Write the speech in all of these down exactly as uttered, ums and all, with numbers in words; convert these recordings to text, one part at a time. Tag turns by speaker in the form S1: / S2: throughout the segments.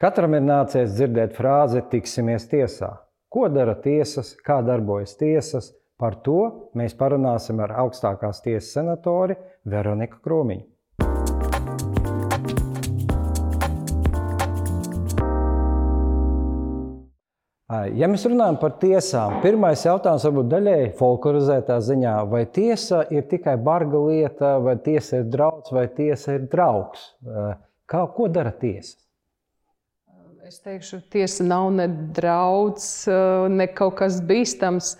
S1: Katram ir nācies dzirdēt frāzi tiksimies tiesā. Ko dara tiesas, kā darbojas tiesas? Par to mēs parunāsim ar augstākās tiesas senatori Veroniku Krūmiņu. Ja mēs runājam par tiesām, pirmais jautājums varbūt daļēji folklorizētā ziņā, vai tiesa ir tikai barga lieta, vai tiesa ir drauds, vai tiesa ir draugs? Kā, ko dara tiesa?
S2: Es teikšu, tiesa nav ne drauds, ne kaut kas bīstams.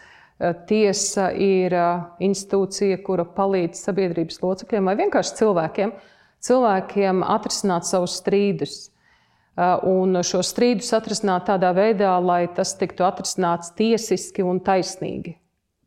S2: Tiesa ir institūcija, kura palīdz sabiedrības locekļiem vai vienkārši cilvēkiem, cilvēkiem atrisināt savus strīdus. Un šo strīdus atrisināt tādā veidā, lai tas tiktu atrisināts tiesiski un taisnīgi.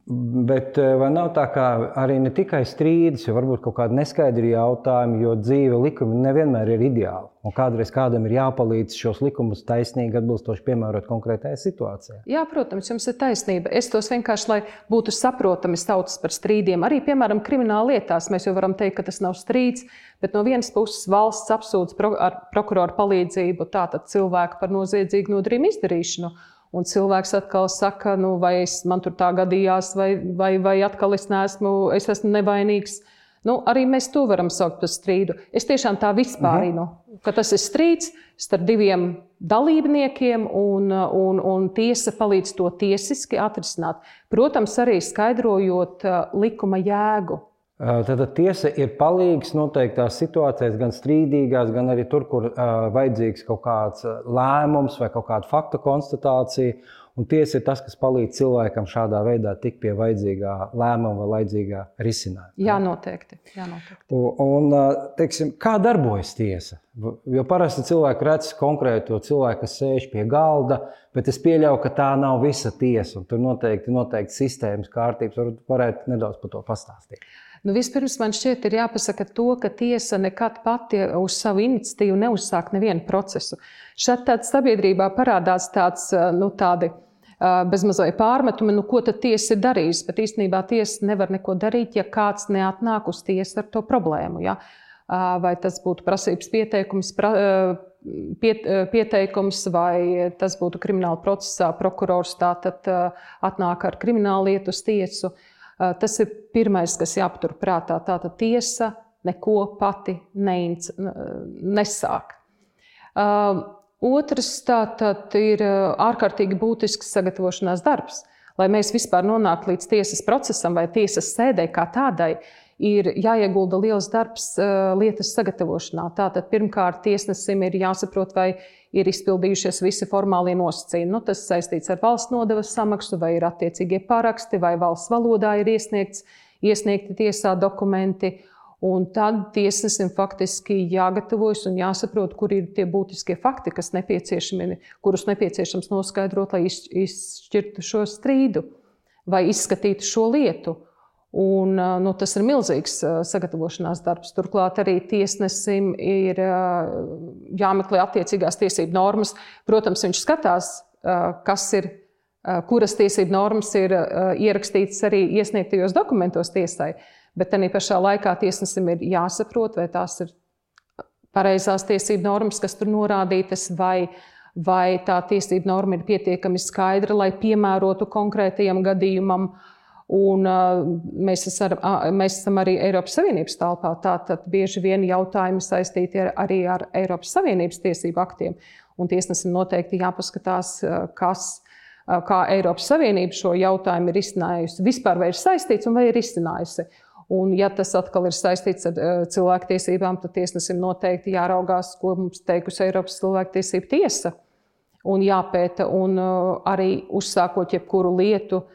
S1: Bet vai nav tā, kā arī ne tikai strīdus, jo varbūt kaut kādi neskaidri jautājumi, jo dzīve likumi nevienmēr ir ideāli. Un kādreiz kādam ir jāpalīdz šos likumus taisnīgi atbilstoši piemērot konkrētajai situācijai.
S2: Jā, protams, jums ir taisnība. Es tos vienkārši, lai būtu saprotami saucas par strīdiem. Arī, piemēram, krimināla lietās mēs jau varam teikt, ka tas nav strīds, bet no vienas puses valsts apsūdz pro, ar prokuroru palīdzību tātad cilvēku par noziedzīgu nodarījumu izdarīšanu. Un cilvēks atkal saka, nu, vai es, man tur tā gadījās, vai, vai, vai atkal es neesmu, es esmu nevainīgs. Nu, arī mēs to varam saukt par strīdu. Es tiešām tā vispārinu, uh-huh. ka tas ir strīds starp diviem dalībniekiem un, un, un tiesa palīdz to tiesiski atrisināt. Protams, arī skaidrojot likuma jēgu.
S1: Tad tiesa ir palīgs noteiktās situācijās, gan strīdīgās, gan arī tur, kur uh, vajadzīgs kaut kāds lēmums vai kaut kāda fakta konstatācija. Un tiesa ir tas, kas palīdz cilvēkam šādā veidā tikt pie vajadzīgā lēmuma vai vajadzīgā risinājuma.
S2: Jā, noteikti. Jā, noteikti.
S1: Un, teiksim, kā darbojas tiesa? Jo parasti cilvēki redz konkrēto cilvēku, kas sēž pie galda, bet es pieļauju, ka tā nav visa tiesa. Un tur noteikti, noteikti sistēmas kārtības. Varbūt varētu nedaudz par to pastāstīt.
S2: Nu, vispirms man šķiet ir jāpasaka to, ka tiesa nekad pati uz savu iniciatīvu neuzsāk nevienu procesu. Šad tāds sabiedrībā parādās tāds, nu, tādi bezmazai pārmetumi, nu, ko tad tiesa ir darījusi, bet īstenībā tiesa nevar neko darīt, ja kāds neatnāk uz tiesu ar to problēmu. Ja? Vai tas būtu prasības pieteikums, pra, piet, pieteikums, vai tas būtu krimināla procesā, prokurors tātad atnāk ar kriminālu lietu uz tiesu. Tas ir pirmais, kas jāpatur prātā. Tātad tiesa neko pati neinc, nesāk. Otrs tātad ir ārkārtīgi būtisks sagatavošanās darbs. Lai mēs vispār nonāktu līdz tiesas procesam vai tiesas sēdē kā tādai, ir jāiegulda liels darbs lietas sagatavošanā. Tātad pirmkārt tiesnesim ir jāsaprot, vai ir izpildījušies visi formālie nosacījumi. Nu, tas saistīts ar valsts nodevas samaksu, vai ir attiecīgie paraksti, vai valsts valodā ir iesniegts, iesniegti tiesā dokumenti. Un tad tiesnesim faktiski jāgatavojas un jāsaprot, kur ir tie būtiskie fakti, kas nepieciešami, kurus nepieciešams noskaidrot, lai izšķirtu šo strīdu vai izskatītu šo lietu. Un, nu, tas ir milzīgs sagatavošanās darbs. Turklāt arī tiesnesim ir jāmeklē attiecīgās tiesību normas. Protams, viņš skatās, kas ir, kuras tiesību normas ir ierakstītas arī iesniegtajos dokumentos tiesai, bet arī pašā laikā tiesnesim ir jāsaprot, vai tās ir pareizās tiesību normas, kas tur norādītas, vai, vai tā tiesību norma ir pietiekami skaidra, lai piemērotu konkrētajam gadījumam. Un uh, mēs, esam, uh, mēs esam arī Eiropas Savienības telpā, tātad bieži vien jautājumi saistīti ar, arī ar Eiropas Savienības tiesību aktiem. Un tiesnesim noteikti jāpaskatās, uh, kas, uh, kā Eiropas Savienība šo jautājumu ir izcinājusi. Vispār vai ir saistīts un vai ir izcinājusi. Un ja tas atkal ir saistīts ar uh, cilvēktiesībām, tad tiesnesim noteikti jāraugās, ko mums teikusi Eiropas cilvēktiesība tiesa. Un jāpēta un uh, arī uzsākot jebkuru lietu,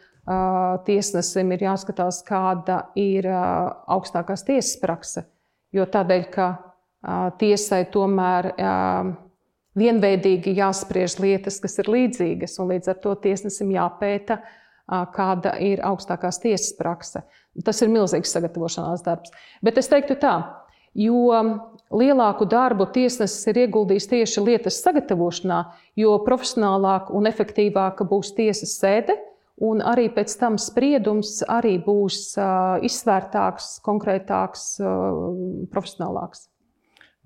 S2: tiesnesim ir jāskatās, kāda ir augstākās tiesas prakse. Jo tādēļ, ka tiesai tomēr vienveidīgi jāspriež lietas, kas ir līdzīgas, un līdz ar to tiesnesim jāpēta, kāda ir augstākās tiesas prakse. Tas ir milzīgs sagatavošanās darbs. Bet es teiktu tā, jo lielāku darbu tiesnesis ir ieguldījis tieši lietas sagatavošanā, jo profesionālāk un efektīvāka būs tiesas sēde, un arī pēc tam spriedums arī būs uh, izsvērtāks, konkrētāks, uh, profesionālāks.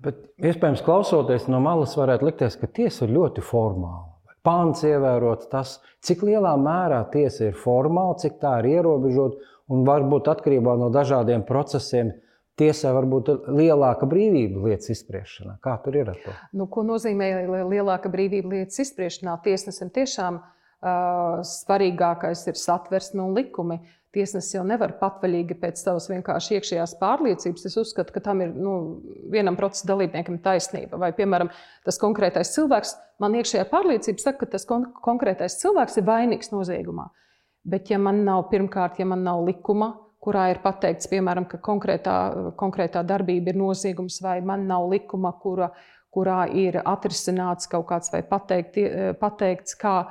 S1: Bet, iespējams, klausoties no malas, varētu likties, ka tiesa ir ļoti formāla. Pāns ievērot tas, cik lielā mērā tiesa ir formāla, cik tā ir ierobežota, un varbūt atkarībā no dažādiem procesiem tiesai var būt lielāka brīvība lietas izspriešanā. Kā tur ir ar to?
S2: Nu, ko nozīmē lielāka brīvība lietas izspriešanā? Tiesnesim tiešām uh, svarīgākais ir satversme un likumi. Tiesnesis jau nevar patvaļīgi pēc savas vienkārši iekšējās pārliecības. Es uzskatu, ka tam ir nu, vienam procesa dalībniekam taisnība. Vai, piemēram, tas konkrētais cilvēks, man iekšējā pārliecība saka, ka tas kon- konkrētais cilvēks ir vainīgs noziegumā. Bet ja man nav, pirmkārt, ja man nav likuma, kurā ir pateikts, piemēram, ka konkrētā, konkrētā darbība ir noziegums, vai man nav likuma, kura, kurā ir atrisināts kaut kāds vai pateikt, pateikts, kā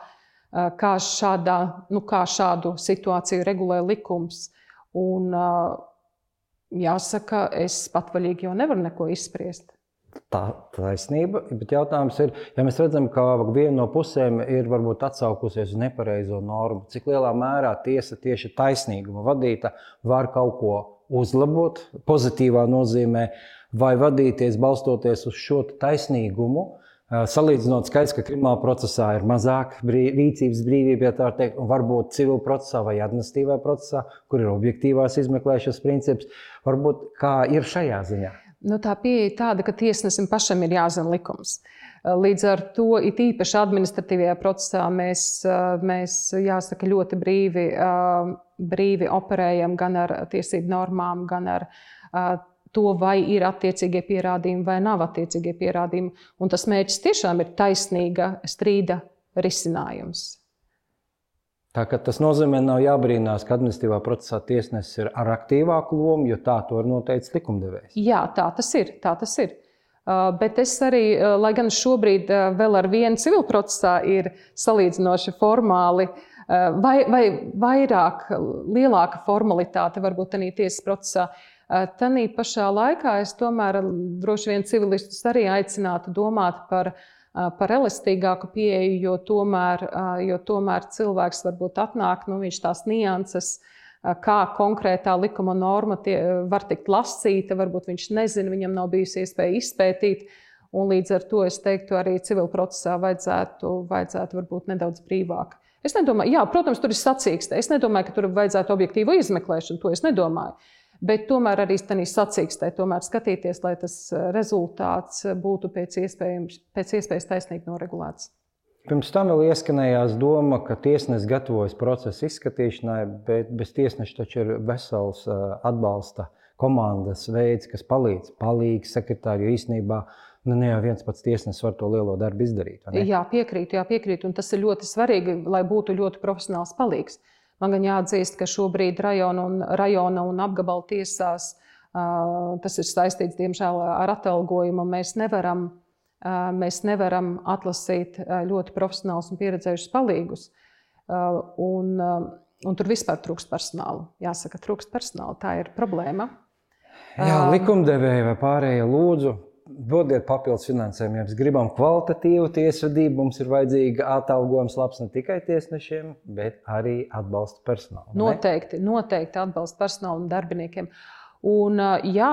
S2: Kā, šādā, nu, kā šādu situāciju regulē likums. Un, jāsaka, es patvaļīgi jau nevaru neko izspriest.
S1: Tā taisnība, bet jautājums ir, ja mēs redzam, ka viena no pusēm ir varbūt atsaukusies uz nepareizo normu, cik lielā mērā tiesa tieši taisnīguma vadīta var kaut ko uzlabot pozitīvā nozīmē, vai vadīties balstoties uz šo taisnīgumu, salīdzinot skaidrs, ka krimināla procesā ir mazāk brīv, rīcības brīvība, ja tā var teikt, un varbūt civil procesā vai administratīvā procesā, kur ir objektīvās izmeklēšanas princips, varbūt kā ir šajā ziņā?
S2: Nu, tā pieeja ir tāda, ka tiesnesim pašam ir jāzina likums. Līdz ar to, it īpaši administratīvajā procesā, mēs, mēs jāsaka, ļoti brīvi, brīvi operējam gan ar tiesību normām, gan ar to, vai ir attiecīgie pierādījumi vai nav attiecīgie pierādījumi. Un tas mērķis tiešām ir taisnīga strīda risinājums.
S1: Tā, tas nozīmē, nav jābrīnās, ka administratīvā procesā tiesnesis ir ar aktīvāku lomu, jo tā to ir noteicis likumdevējs.
S2: Jā, tā tas ir. Tā tas ir. Bet es arī, lai gan šobrīd vēl ar vienu civil procesā ir salīdzinoši formāli, vai, vai vairāk, lielāka formalitāte varbūt arī tiesas procesā, tanī pašā laikā es tomēr droši vien civilistus arī aicinātu domāt par, par elastīgāku pieeju, jo tomēr, jo tomēr cilvēks varbūt atnāk, nu, viņš tās nianses, kā konkrētā likuma norma tie, var tikt lasīta, varbūt viņš nezina, viņam nav bijusi iespēja izpētīt, un līdz ar to es teiktu arī civil procesā vajadzētu, vajadzētu varbūt nedaudz brīvāk. Es nedomāju, jā, protams, tur ir sacīkste, es nedomāju, ka tur vajadzētu objektīvu izmeklēšanu, to es nedomāju. Bet tomēr arī tādā sacīkstē tomēr skatīties, lai tas rezultāts būtu pēc iespējas, pēc iespējas taisnīgi noregulēts.
S1: Pirms tam vēl ieskanējās doma, ka tiesnesis gatavojas procesa izskatīšanai, bet bez tiesneša taču ir vesels atbalsta komandas veids, kas palīdz, palīgs sekretāri, jo īstenībā nu, ne jau viens pats tiesnesis var to lielo darbu izdarīt.
S2: Jā, piekrītu, jā, piekrītu, un tas ir ļoti svarīgi, lai būtu ļoti profesionāls palīgs. Man gan jāatzīst, ka šobrīd rajona un, rajona un apgabala tiesās uh, tas ir saistīts, diemžēl, ar atalgojumu. Mēs nevaram, uh, mēs nevaram atlasīt uh, ļoti profesionālus un pieredzējušus palīgus. Uh, un, uh, un tur vispār trūkst personālu. Jāsaka, trūkst personālu. Tā ir problēma.
S1: Jā, likumdevēji vai pārējie lūdzu. Dodiet papildus finansējumu, ja mēs gribam kvalitatīvu tiesvedību, mums ir vajadzīga atalgojums labs ne tikai tiesnešiem, bet arī atbalsta personālu.
S2: Noteikti, noteikti atbalsta personālu un darbiniekiem. Un, jā,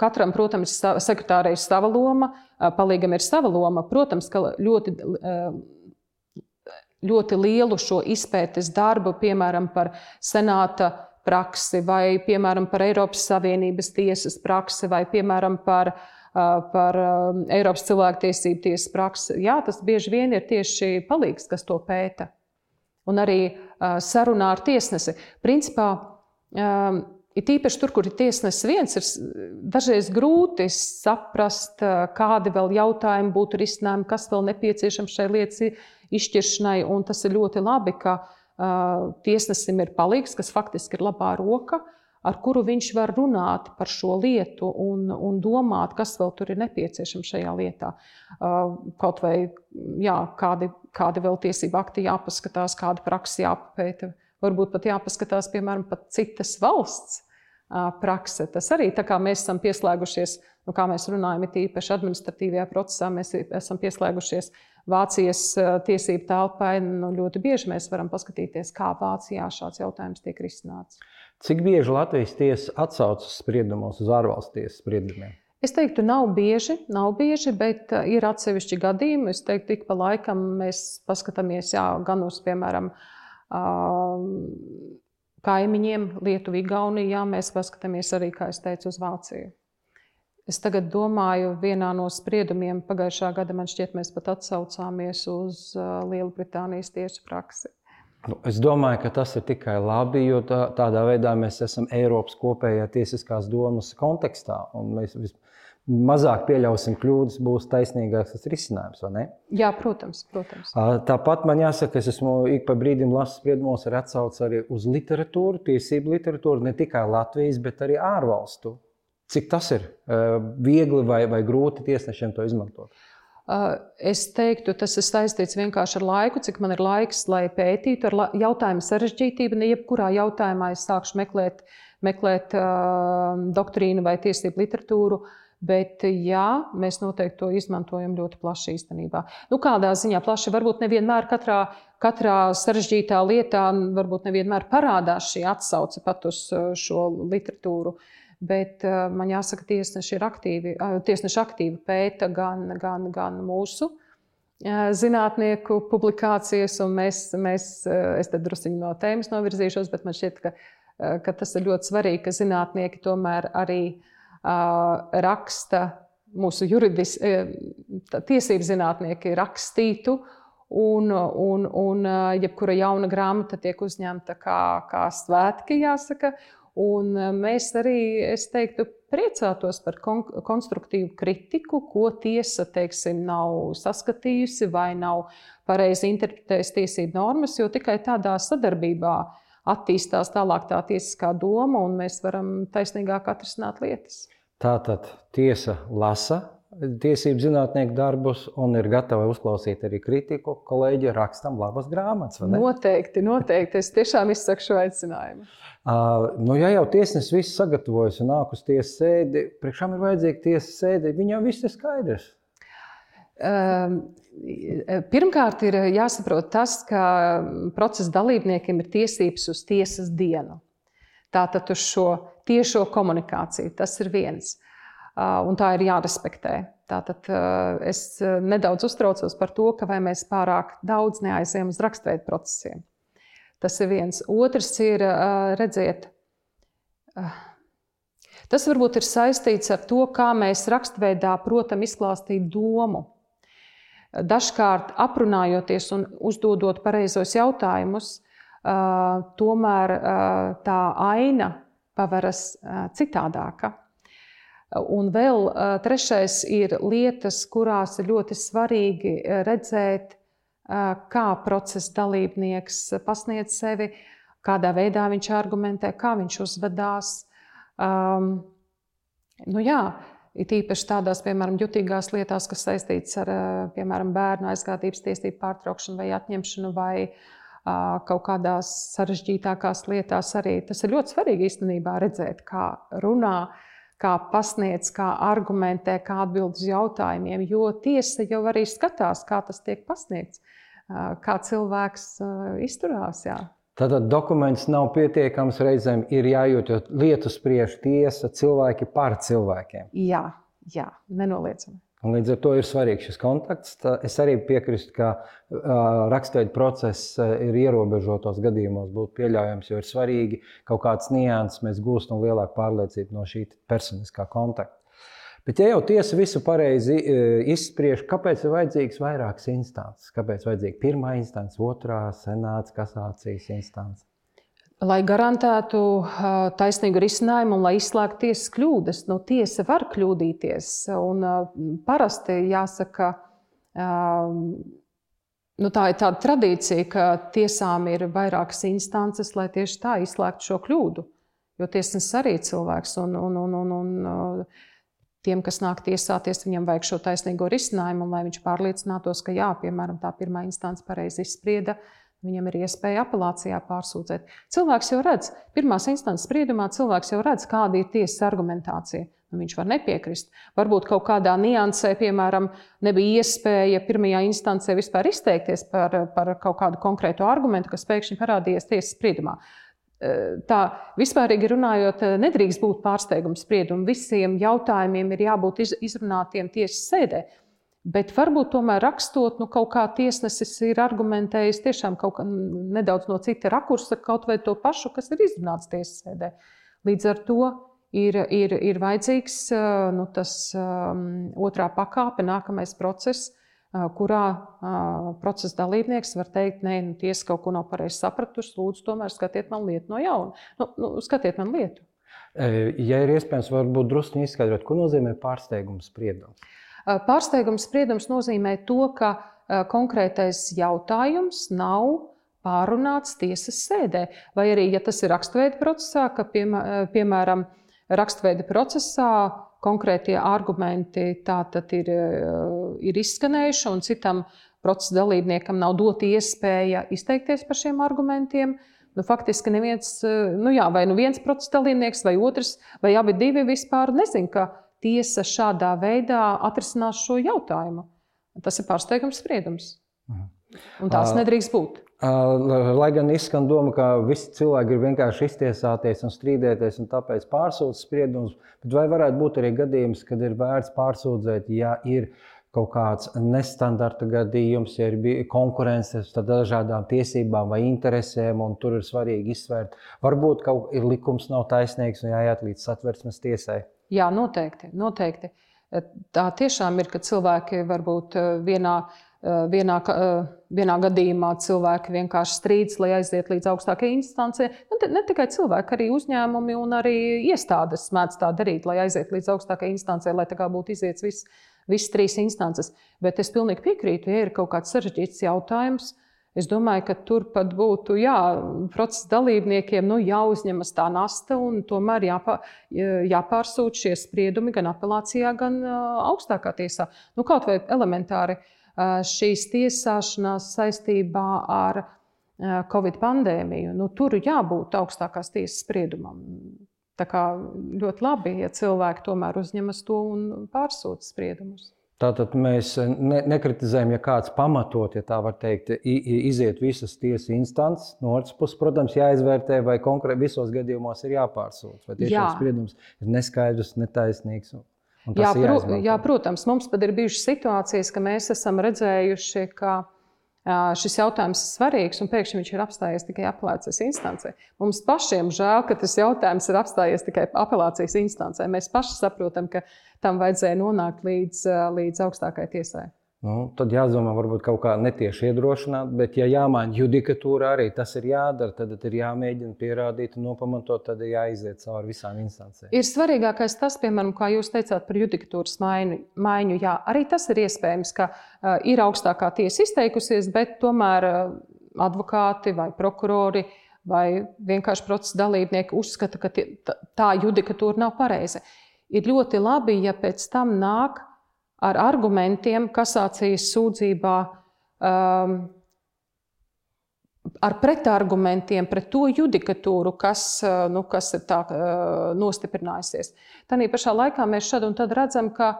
S2: katram, protams, sekretārei ir sava loma, palīgam ir sava loma. Protams, ka ļoti, ļoti lielu šo izpētes darbu, piemēram, par senāta praksi vai, piemēram, par Eiropas Savienības tiesas praksi vai, piemēram, par, par Eiropas cilvēktiesību tiesas praksi. Jā, tas bieži vien ir tieši palīgs, kas to pēta. Un arī sarunā ar tiesnesi. Principā, it īpaši tur, kur ir tiesnesis viens, ir dažreiz grūti saprast, kādi vēl jautājumi būtu risinājumi, kas vēl nepieciešams šai lietas izšķiršanai. Un tas ir ļoti labi, ka tiesnesim ir palīgs, kas faktiski ir labā roka, ar kuru viņš var runāt par šo lietu un, un domāt, kas vēl tur ir nepieciešams šajā lietā. Kaut vai jā, kādi, kādi vēl tiesību akti jāpaskatās, kāda praksa jāpapēta. Varbūt pat jāpaskatās, piemēram, pat citas valsts prakse. Tas arī tā kā mēs esam pieslēgušies, nu, kā mēs runājam, it īpaši administratīvajā procesā, mēs esam pieslēgušies Vācijas tiesību telpai, nu, ļoti bieži mēs varam paskatīties, kā Vācijā šāds jautājums tiek risināts.
S1: Cik bieži Latvijas tiesa atsaucas spriedumos uz ārvalstu tiesas spriedumiem?
S2: Es teiktu, nav bieži, nav bieži, bet ir atsevišķi gadījumi. Es teiktu, ik pa laikam mēs paskatāmies jā, gan uz, piemēram, kaimiņiem, Lietuvu, Igauniju, jā, mēs paskatāmies arī, kā es teicu, uz Vāciju. Es tagad domāju, vienā no spriedumiem pagājušā gada, man šķiet, mēs pat atsaucāmies uz Lielbritānijas tiesu praksi.
S1: Nu, es domāju, ka tas ir tikai labi, jo tā, tādā veidā mēs esam Eiropas kopējā tiesiskās domas kontekstā. Un mēs mazāk pieļausim kļūdas, būs taisnīgāks tas risinājums, vai ne?
S2: Jā, protams, protams.
S1: Tāpat man jāsaka, es esmu ik pa brīdim lasu spriedumos ar atsauci arī uz literatūru, tiesību literatūru, ne tikai Latvijas, bet arī ārvalstu. Cik tas ir viegli vai, vai grūti tiesnešiem to izmantot?
S2: Es teiktu, tas ir saistīts vienkārši ar laiku, cik man ir laiks, lai pētītu ar jautājumu sarežģītību. Ne jebkurā jautājumā es sākšu meklēt, meklēt uh, doktrīnu vai tiesību literatūru, bet jā, mēs noteikti to izmantojam ļoti plaši īstenībā. Nu, kādā ziņā plaši, varbūt nevienmēr katrā, katrā sarežģītā lietā, varbūt nevienmēr parādās šī atsauce pat uz šo literatūru. Bet uh, man jāsaka, tiesneši ir aktīvi, uh, tiesneši aktīvi pēta gan, gan, gan mūsu uh, zinātnieku publikācijas, un mēs, mēs uh, es te drusciņi no tēmas novirzīšos, bet man šķiet, ka, uh, ka tas ir ļoti svarīgi, ka zinātnieki tomēr arī uh, raksta, mūsu juridis, uh, tiesību zinātnieki rakstītu, un, un, un uh, jebkura jauna grāmata tiek uzņemta kā, kā svētki, jāsaka. Un mēs arī, es teiktu, priecātos par kon konstruktīvu kritiku, ko tiesa, teiksim, nav saskatījusi vai nav pareizi interpretējusi tiesību normas, jo tikai tādā sadarbībā attīstās tālāk tā tiesiskā doma, un mēs varam taisnīgāk atrisināt lietas.
S1: Tātad tiesa lasa tiesību zinātnieku darbus un ir gatava uzklausīt arī kritiku. Kolēģi, rakstam labas grāmatas, vai ne?
S2: Noteikti, noteikti. Es tiešām izsaku šo aicinājumu.
S1: Uh, nu, ja jau tiesnesis viss sagatavojas un nāk uz tiesas sēdi, priekšām ir vajadzīga tiesas sēdi, viņam viss ir skaidrs.
S2: Uh, pirmkārt, ir jāsaprot tas, ka procesa dalībniekiem ir tiesības uz tiesas dienu. Tātad uz šo tiešo komunikāciju. Tas ir viens. Uh, un tā ir jārespektē. Tātad uh, es nedaudz uztraucos par to, ka vai mēs pārāk daudz neaizējam uz rakstveidu procesiem. Tas ir viens. Otrs ir, redziet, tas varbūt ir saistīts ar to, kā mēs rakstveidā protam izklāstīt domu. Dažkārt aprunājoties un uzdodot pareizos jautājumus, tomēr tā aina paveras citādāka. Un vēl trešais ir lietas, kurās ir ļoti svarīgi redzēt, kā procesa dalībnieks pasniedz sevi, kādā veidā viņš argumentē, kā viņš uzvedās. Um, nu jā, it īpaši tādās, piemēram, jutīgās lietās, kas saistītas ar, piemēram, bērnu aizgādības tiesību pārtraukšanu vai atņemšanu vai uh, kaut kādās sarežģītākās lietās arī. Tas ir ļoti svarīgi īstenībā redzēt, kā runā, kā pasniedz, kā argumentē, kā atbild uz jautājumiem, jo tiesa jau arī skatās, kā tas tiek pasniegts, kā cilvēks izturās. Jā.
S1: Tātad dokuments nav pietiekams, reizēm ir jājūt, jo lietu spriež tiesa, cilvēki par cilvēkiem.
S2: Jā, jā, nenoliedzami.
S1: Un līdz ar to ir svarīgs šis kontakts. Es arī piekrītu, ka rakstveidu process ir ierobežotos gadījumos būtu pieļaujams, jo ir svarīgi kaut kāds nianses, mēs gūstam lielāku pārliecību no šī personiskā kontakta. Bet ja jau tiesa visu pareizi izspriež, kāpēc ir vajadzīgs vairākas instances? Kāpēc vajadzīga pirmā instance, otrā, senāts, kasācijas instance?
S2: Lai garantētu taisnīgu risinājumu un lai izslēgtu tiesas kļūdas. Nu, tiesa var kļūdīties. Un parasti jāsaka, nu, tā ir tāda tradīcija, ka tiesām ir vairākas instances, lai tieši tā izslēgtu šo kļūdu. Jo tiesnesis arī ir cilvēks un, un, un, un, un tiem, kas nāk tiesāties, viņam vajag šo taisnīgo risinājumu, un lai viņš pārliecinātos, ka jā, piemēram, tā pirmā instance pareizi izsprieda, viņam ir iespēja apelācijā pārsūdzēt. Cilvēks jau redz, pirmās instances spriedumā cilvēks jau redz, kāda ir tiesas argumentācija. Nu, viņš var nepiekrist. Varbūt kaut kādā niansē, piemēram, nebija iespēja pirmajā instancē vispār izteikties par, par kaut kādu konkrētu argumentu, kas pēkšņi parādījies tiesas spriedumā. tā vispārīgi runājot, nedrīkst būt pārsteiguma spriedumi. Visiem jautājumiem ir jābūt izrunātiem tiesas sēdē. Bet varbūt tomēr rakstot, nu, kaut kā tiesnesis ir argumentējis tiešām kaut kā nedaudz no cita rakursa, kaut vai to pašu, kas ir izrunāts tiesas sēdē. Līdz ar to ir, ir, ir vajadzīgs nu, tas um, otrā pakāpe, nākamais process, uh, kurā uh, procesa dalībnieks var teikt, nē, nu, tiesa kaut ko nav pareizi sapratusi, lūdzu, tomēr skatiet man lietu no jauna. Nu, nu, skatiet man lietu.
S1: Ja ir iespējams, varbūt drusku izskaidrot, ko nozīmē pārsteiguma spriedums?
S2: Pārsteiguma spriedums nozīmē to, ka konkrētais jautājums nav pārunāts tiesas sēdē. Vai arī, ja tas ir rakstveida procesā, ka, piemēram, rakstveida procesā konkrētie argumenti tātad ir, ir izskanējuši un citam procesa dalībniekam nav dota iespēja izteikties par šiem argumentiem. Nu, faktiski neviens, nu jā, vai nu viens procesa dalībnieks, vai otrs, vai abi divi vispār nezin, ka tiesa šādā veidā atrisinās šo jautājumu. Tas ir pārsteigums spriedums. Un tās nedrīkst būt.
S1: Lai gan izskan doma, ka visi cilvēki ir vienkārši iztiesāties un strīdēties un tāpēc pārsūdz spriedumus, bet vai varētu būt arī gadījums, kad ir vērts pārsūdzēt, ja ir kaut kāds nestandarta gadījums, ja ir konkurence ar dažādām tiesībām vai interesēm, un tur ir svarīgi izsvērt. Varbūt kaut ir likums nav taisnīgs un jāiet līdz Satversmes tiesai.
S2: Jā, noteikti, noteikti. Tā tiešām ir, ka cilvēki varbūt vienā, vienā, vienā gadījumā cilvēki vienkārši strīdas, lai aiziet līdz augstākajai instancei. Ne tikai cilvēki, arī uzņēmumi un arī iestādes mēdz tā darīt, lai aiziet līdz augstākajai instancei, lai tā kā būtu iziets viss, visas trīs instances. Bet es pilnīgi piekrītu, ja ir kaut kāds sarežģīts jautājums, es domāju, ka tur pat būtu jā, procesa dalībniekiem nu, jāuzņemas tā nasta un tomēr jāpā, jāpārsūta šie spriedumi gan apelācijā, gan augstākā tiesā. Nu, kaut vai elementāri šīs tiesāšanās saistībā ar Covid pandēmiju, nu, tur jābūt augstākās tiesas spriedumam. Tā kā ļoti labi, ja cilvēki tomēr uzņemas to un pārsūta spriedumus.
S1: Tātad mēs ne, nekritizējam, ja kāds pamatot, ja tā var teikt, iziet visas tiesas instances. No otras puses, protams, jāizvērtē, vai konkrēti visos gadījumos ir jāpārsūdz, vai tiešām spriedums ir neskaidrs, netaisnīgs.
S2: Jā, pro, jā, protams, mums pat ir bijušas situācijas, ka mēs esam redzējuši, ka šis jautājums ir svarīgs un pēkšņi viņš ir apstājies tikai apelācijas instancē. Mums pašiem žēl, ka tas jautājums ir apstājies tikai apelācijas instancē. Mēs paši saprotam, ka tam vajadzēja nonākt līdz, līdz augstākajai tiesai.
S1: Nu, tad jādomā varbūt kaut kā netieši iedrošināt, bet ja jāmaina judikatūra arī tas ir jādara, tad ir jāmēģina pierādīt un nopamatot, tad ir jāiziet cauri visām instancēm.
S2: Ir svarīgākais tas, piemēram, kā jūs teicāt par judikatūras maiņu, maiņu. Jā, arī tas ir iespējams, ka uh, ir augstākā tiesa izteikusies, bet tomēr uh, advokāti vai prokurori vai vienkārši procesa dalībnieki uzskata, ka tie, tā judikatūra nav pareiza. Ir ļoti labi, ja pēc tam nāk ar argumentiem kasācijas sūdzībā, um, ar pretargumentiem pret to judikatūru, kas, nu, kas ir tā uh, nostiprinājusies. Tanī pašā laikā mēs šad un tad redzam, ka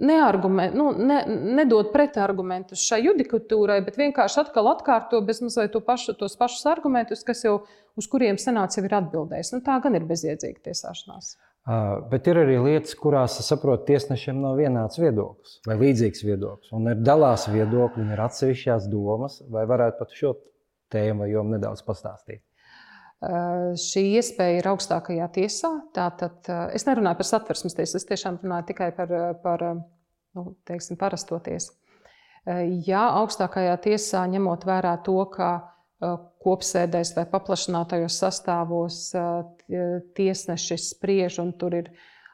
S2: nu, ne, nedod pretargumentus šai judikatūrai, bet vienkārši atkal atkārto bezmazliet to pašu, tos pašus argumentus, kas jau, uz kuriem senāts jau ir atbildējis. Nu, tā gan ir bezjēdzīga tiesāšanās.
S1: Uh, bet ir arī lietas, kurās, es saprotu, tiesnešiem nav vienāds viedoklis vai līdzīgs viedoklis. Un ir dalās viedokļi, un ir atsevišķās domas, vai varētu pat šo tēmu vai jomu nedaudz pastāstīt?
S2: Uh, šī iespēja ir augstākajā tiesā. Tātad, uh, es nerunāju par Satversmes tiesu, es tiešām runāju tikai par, par nu, teiksim, parasto tiesu. Uh, ja augstākajā tiesā ņemot vērā to, ka kopsēdēs vai paplašinātajos sastāvos tiesneši spriež un tur ir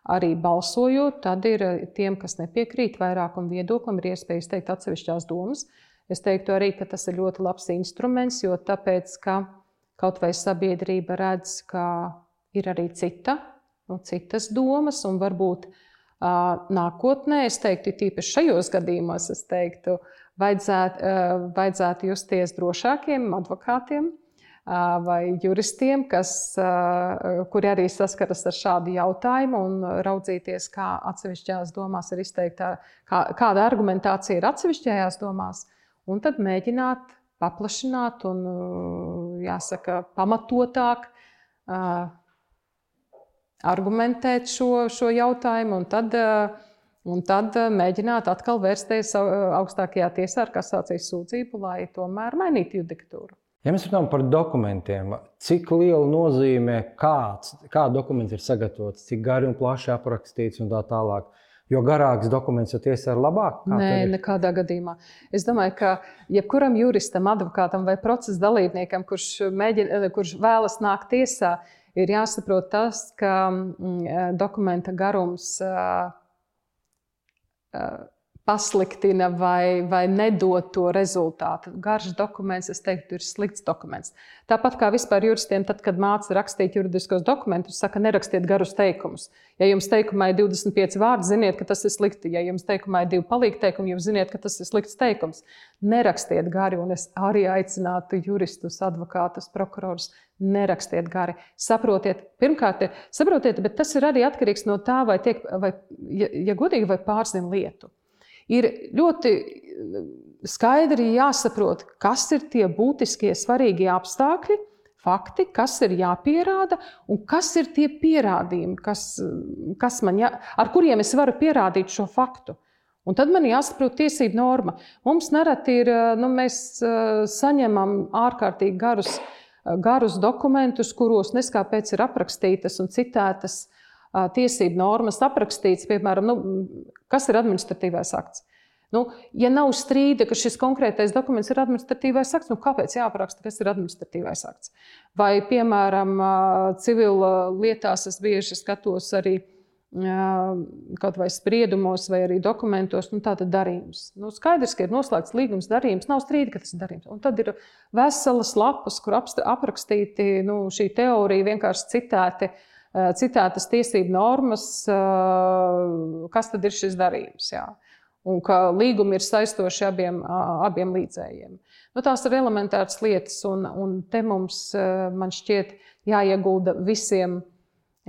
S2: arī balsojot, tad ir tiem, kas nepiekrīt vairākumu viedoklim, ir iespēja izteikt atsevišķās domas. Es teiktu arī, ka tas ir ļoti labs instruments, jo tāpēc, ka kaut vai sabiedrība redz, ka ir arī cita, nu, citas domas un varbūt uh, nākotnē, es teiktu, tīpaši šajos gadījumos, es teiktu, Vajadzētu, vajadzētu justies drošākiem advokātiem vai juristiem, kas, kuri arī saskaras ar šādu jautājumu un raudzīties, kā atsevišķās domās ir izteikta, kā, kāda argumentācija ir atsevišķajās domās, un tad mēģināt paplašināt un, jāsaka, pamatotāk argumentēt šo, šo jautājumu un tad, un tad mēģināt atkal vērsties augstākajā tiesā ar kasācijas sūdzību, lai tomēr mainītu judikatūru.
S1: Ja mēs runājam par dokumentiem, cik liela nozīme kāds, kā dokuments ir sagatavots, cik gari un plaši aprakstīts un tā tālāk? Jo garāks dokuments, jo tiesa ir labāk?
S2: Nē, nekādā gadījumā. Es domāju, ka jebkuram juristam, advokātam vai procesa dalībniekam, kurš, mēģina, kurš vēlas nākt tiesā, ir jāsaprot tas, ka mm, dokumenta garums uh, uh, pasliktina vai, vai nedod to rezultātu. Garš dokuments, es teiktu, ir slikts dokuments. Tāpat kā vispār juristiem, tad, kad māca rakstīt juridiskos dokumentus, saka, nerakstiet garus teikumus. Ja jums teikumā ir divdesmit pieci vārdi, ziniet, ka tas ir slikti. Ja jums teikumā ir divi palīgteikumi, jūs ziniet, ka tas ir slikts teikums. Nerakstiet gari, un es arī aicinātu juristus, advokātus, prokurorus, nerakstiet gari. Saprotiet, pirmkārt, saprotiet, bet tas ir arī atkarīgs no tā, vai tiek, vai, ja, ja godīgi, vai pārzina lietu. Ir ļoti skaidri jāsaprot, kas ir tie būtiskie, svarīgie apstākļi, fakti, kas ir jāpierāda un kas ir tie pierādījumi, kas, kas man jā, ar kuriem es varu pierādīt šo faktu. Un tad man jāsaprot tiesību norma. Mums nereti ir, nu, mēs saņemam ārkārtīgi garus, garus dokumentus, kuros neskāpēc ir aprakstītas un citētas tiesību normas aprakstīts, piemēram, nu, kas ir administratīvais akts. Nu, ja nav strīda, ka šis konkrētais dokuments ir administratīvais akts, nu, kāpēc jāapraksta, kas ir administratīvais akts? Vai, piemēram, civila lietās es bieži skatos arī kaut vai spriedumos vai arī dokumentos, nu, tātad darījums. Nu, skaidrs, ka ir noslēgts līgums, darījums, nav strīda, ka tas ir darījums. Un tad ir veselas lapas, kur aprakstīti, nu, šī teorija vienkārši citēti, citētas tiesību normas, kas tad ir šis darījums, jā. Un ka līgumi ir saistoši abiem, abiem līdzējiem. Nu, tās ir elementāras lietas, un, un te mums, man šķiet, jāiegulda visiem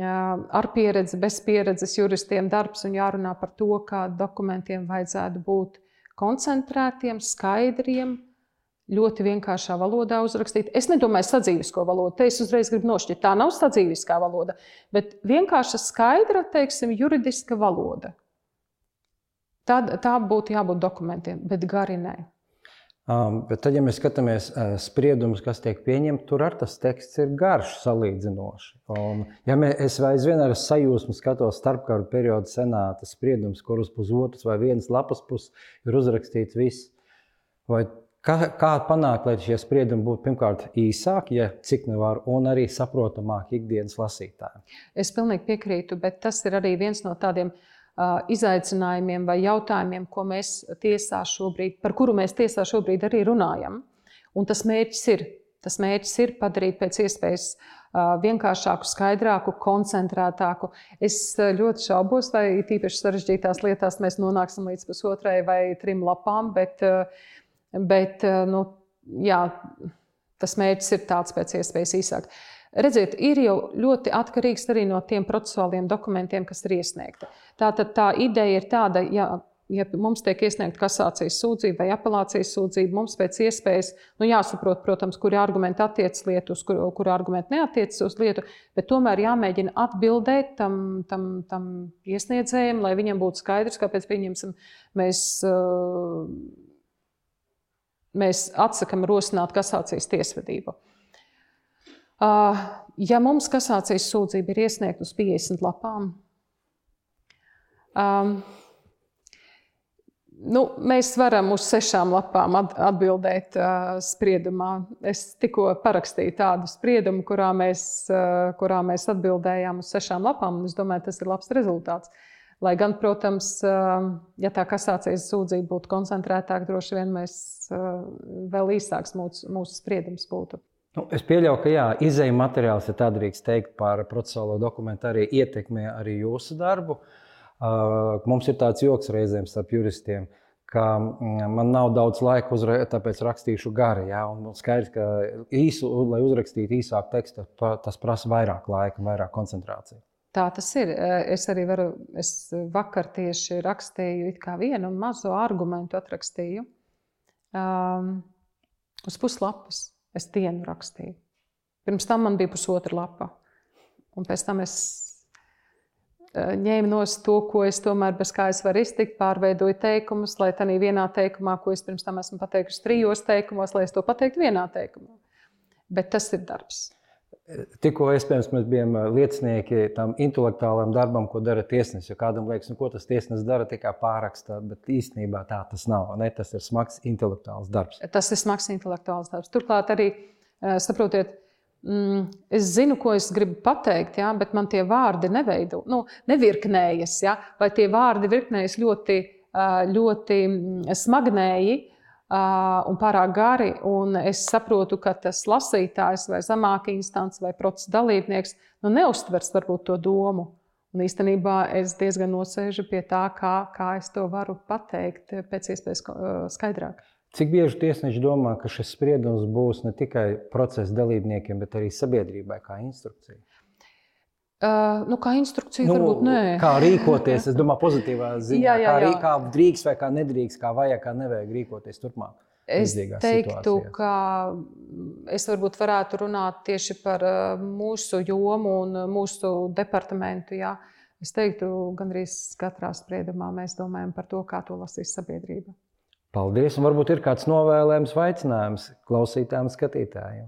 S2: ar pieredzi, bez pieredzes juristiem darbs un jārunā par to, kā dokumentiem vajadzētu būt koncentrētiem, skaidriem, ļoti vienkāršā valodā uzrakstīt. Es nedomāju sadzīvisko valodu, te es uzreiz gribu nošķirt. Tā nav sadzīviskā valoda, bet vienkārša skaidra, teiksim, juridiska valoda. Tā, tā būtu jābūt dokumentiem, bet gari nē.
S1: Um, bet tad, ja mēs skatāmies uh, spriedumus, kas tiek pieņemti, tur ar tas teksts ir garš salīdzinoši. Un, ja mē, es aizvien ar sajūsmu skatos starpkaru periodu senāta spriedumus, kur uz pusotras vai vienas lapas puses ir uzrakstīts viss, vai Kā, kā panākt, lai šie spriedumi būtu pirmkārt īsāki, ja cik nevar, un arī saprotamāki ikdienas lasītājiem?
S2: Es pilnīgi piekrītu, bet tas ir arī viens no tādiem uh, izaicinājumiem vai jautājumiem, ko mēs tiesā šobrīd, par kuru mēs tiesā šobrīd arī runājam. Un tas mērķis ir, tas mērķis ir padarīt pēc iespējas uh, vienkāršāku, skaidrāku, koncentrētāku. Es ļoti šaubos, vai tīpaši sarežģītās lietās mēs nonāksim līdz pusotrai vai trim lapām, bet uh, Bet, nu, jā, tas mērķis ir tāds pēc iespējas īsāk. Redziet, ir jau ļoti atkarīgs arī no tiem procesuāliem dokumentiem, kas ir iesniegti. Tātad tā ideja ir tāda, ja, ja mums tiek iesniegta kasācijas sūdzība vai apelācijas sūdzība, mums pēc iespējas, nu, jāsaprot, protams, kuri argumenti attiec lietu, uz kuri, kuri argumenti neatiec uz lietu, bet tomēr jāmēģina atbildēt tam, tam, tam iesniedzējiem, lai viņam būtu skaidrs, kāpēc pieņemsim mēs... Uh, Mēs atsakam rosināt kasācijas tiesvedību. Ja mums kasācijas sūdzība ir iesniegta uz piecdesmit lapām, um, nu, mēs varam uz sešām lapām atbildēt uh, spriedumā. Es tikko parakstīju tādu spriedumu, kurā mēs, uh, kurā mēs atbildējām uz sešām lapām, un es domāju, tas ir labs rezultāts. Lai gan, protams, ja tā kasācijas sūdzība būtu koncentrētāka, droši vien mēs vēl īsāks mūsu, mūsu spriedums būtu.
S1: Nu, es pieļauju, ka jā, izēja materiāls, ja tā drīkst teikt, par procesuālo dokumentu arī ietekmē arī jūsu darbu. Mums ir tāds joks reizēm starp juristiem, ka man nav daudz laika, uzra... tāpēc rakstīšu gari. Jā, un skaidrs, ka īsu, lai uzrakstītu īsāku tekstu, tas prasa vairāk laika, vairāk koncentrāciju.
S2: Tā tas ir. Es arī varu, es vakar tieši rakstīju it kā vienu mazo argumentu atrakstīju. Um, Uz puslapas es dienu rakstīju. Pirms tam man bija pusotra lapa. Un pēc tam es ņēmu nost to, ko es tomēr bez kā es varu iztikt, pārveidoju teikumus, lai tādā vienā teikumā, ko es pirms tam esmu pateikusi trijos teikumos, lai es to pateiktu vienā teikumā. Bet tas ir darbs.
S1: Tikko iespējams mēs bijām liecinieki tam intelektuālam darbam, ko dara tiesnesis. Jo kādam liekas, nu, ko tas tiesnesis dara, tikai pārakstā, bet īstenībā tā tas nav. Ne? Tas ir smags intelektuāls darbs.
S2: Tas ir smags intelektuāls darbs. Turklāt arī, saprotiet, es zinu, ko es gribu pateikt, ja, bet man tie vārdi neveido, nu, nevirknējas, ja, vai tie vārdi virknējas ļoti, ļoti smagnēji un pārāk gari, un es saprotu, ka tas lasītājs vai zemāka instance vai procesa dalībnieks nu, neuztvers varbūt to domu. Un īstenībā es diezgan nosēžu pie tā, kā, kā es to varu pateikt pēc iespējas skaidrāk.
S1: Cik bieži tiesneši domā, ka šis spriedums būs ne tikai procesa dalībniekiem, bet arī sabiedrībai kā instrukcija?
S2: Uh, nu, kā instrukcija
S1: nu,
S2: varbūt nē.
S1: Kā rīkoties, es domāju, pozitīvā ziņā. Jā, jā, jā. Kā, kā drīkst vai kā nedrīkst, kā vajag, kā nevajag rīkoties turpmāk.
S2: Es teiktu, situācijās. Ka es varbūt varētu runāt tieši par mūsu jomu un mūsu departamentu. Jā. Es teiktu, gandrīz katrā spriedumā mēs domājam par to, kā to lasīs sabiedrība.
S1: Paldies, un varbūt ir kāds novēlējums vai aicinājums klausītājiem, skatītājiem?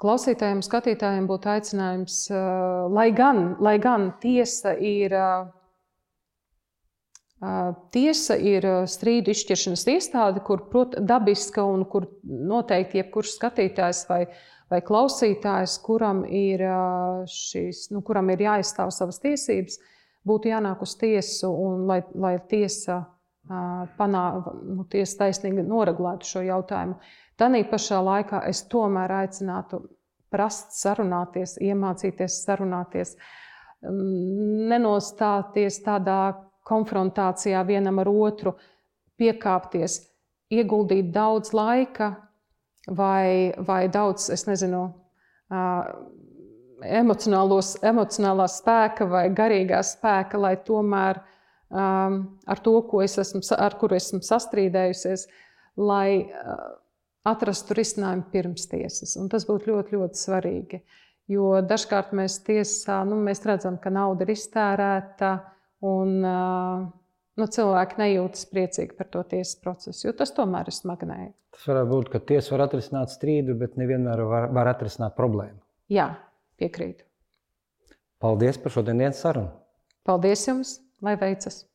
S2: Klausītājiem, skatītājiem būtu aicinājums, lai gan, lai gan tiesa ir, tiesa ir strīdu izšķiršanas iestāde, kur prot, dabiska un kur noteikti jebkurš skatītājs vai, vai klausītājs, kuram ir, šīs, nu, kuram ir jāizstāv savas tiesības, būtu jānāk uz tiesu un lai, lai tiesa Panā, nu, tiesa taisnīgi noregulētu šo jautājumu. Tanī pašā laikā es tomēr aicinātu prast sarunāties, iemācīties sarunāties, nenostāties tādā konfrontācijā vienam ar otru, piekāpties, ieguldīt daudz laika vai, vai daudz, es nezinu, emocionālā spēka vai garīgā spēka, lai tomēr Um, ar to, ko es esmu, ar kuru esmu sastrīdējusies, lai uh, atrastu risinājumu pirms tiesas. Un tas būtu ļoti, ļoti svarīgi. Jo dažkārt mēs tiesā, nu, mēs redzam, ka nauda ir iztērēta un uh, nu, cilvēki nejūtas priecīgi par to tiesas procesu, jo tas tomēr ir smagnēji.
S1: Tas varētu būt, ka tiesa var atrisināt strīdu, bet nevienmēr var, var atrisināt problēmu.
S2: Jā, piekrītu.
S1: Paldies par šodienas sarunu.
S2: Paldies jums! Lai veicas!